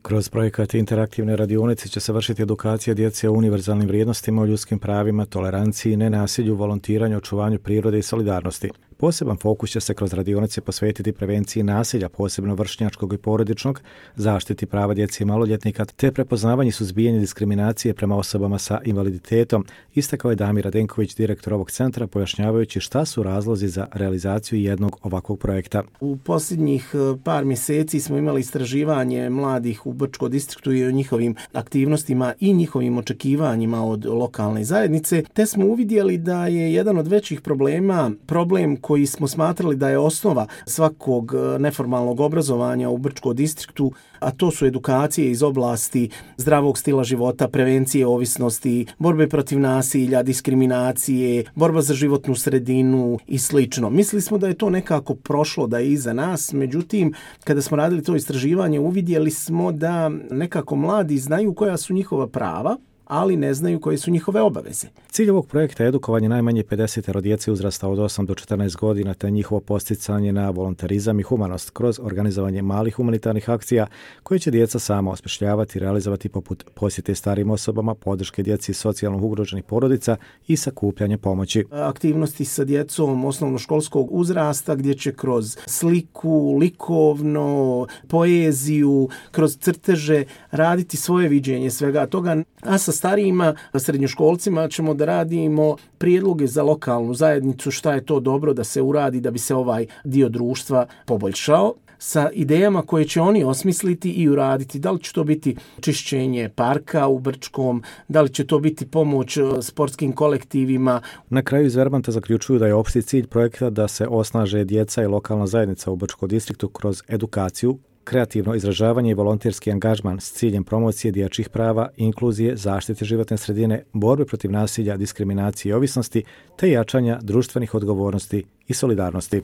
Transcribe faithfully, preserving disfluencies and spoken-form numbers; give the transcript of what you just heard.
Kroz projekat interaktivne radionice će se vršiti edukacija djece o univerzalnim vrijednostima, o ljudskim pravima, toleranciji, nenasilju, volontiranju, očuvanju prirode i solidarnosti. Poseban fokus će se kroz radionice posvetiti prevenciji nasilja, posebno vršnjačkog i porodičnog, zaštiti prava djece i maloljetnika, te prepoznavanje i suzbijanje diskriminacije prema osobama sa invaliditetom, istakao je Damir Radenković, direktor ovog centra, pojašnjavajući šta su razlozi za realizaciju jednog ovakvog projekta. U posljednjih par mjeseci smo imali istraživanje mladih u Brčkom distriktu i o njihovim aktivnostima i njihovim očekivanjima od lokalne zajednice, te smo uvidjeli da je jedan od većih problema problem koji smo smatrali da je osnova svakog neformalnog obrazovanja u Brčkom distriktu, a to su edukacije iz oblasti zdravog stila života, prevencije ovisnosti, borbe protiv nasilja, diskriminacije, borba za životnu sredinu i slično. Mislili smo da je to nekako prošlo, da je iza nas, međutim, kada smo radili to istraživanje, uvidjeli smo da nekako mladi znaju koja su njihova prava, ali ne znaju koje su njihove obaveze. Cilj ovog projekta je edukovanje najmanje pedeset djece uzrasta od osam do četrnaest godina, te njihovo posticanje na volontarizam i humanost kroz organizovanje malih humanitarnih akcija koje će djeca sama osmišljavati i realizovati, poput posjete starijim osobama, podrške djeci socijalno ugroženih porodica i sakupljanje pomoći. Aktivnosti sa djecom osnovnoškolskog uzrasta gdje će kroz sliku, likovno, poeziju, kroz crteže raditi svoje viđenje svega toga, a sa starijima, srednjoškolcima ćemo da radimo prijedloge za lokalnu zajednicu, šta je to dobro da se uradi da bi se ovaj dio društva poboljšao, sa idejama koje će oni osmisliti i uraditi. Da li će to biti čišćenje parka u Brčkom, da li će to biti pomoć sportskim kolektivima. Na kraju iz Verbanta zaključuju da je opšti cilj projekta da se osnaže djeca i lokalna zajednica u Brčkom distriktu kroz edukaciju, kreativno izražavanje i volonterski angažman s ciljem promocije dječjih prava, inkluzije, zaštite životne sredine, borbe protiv nasilja, diskriminacije i ovisnosti, te jačanja društvenih odgovornosti i solidarnosti.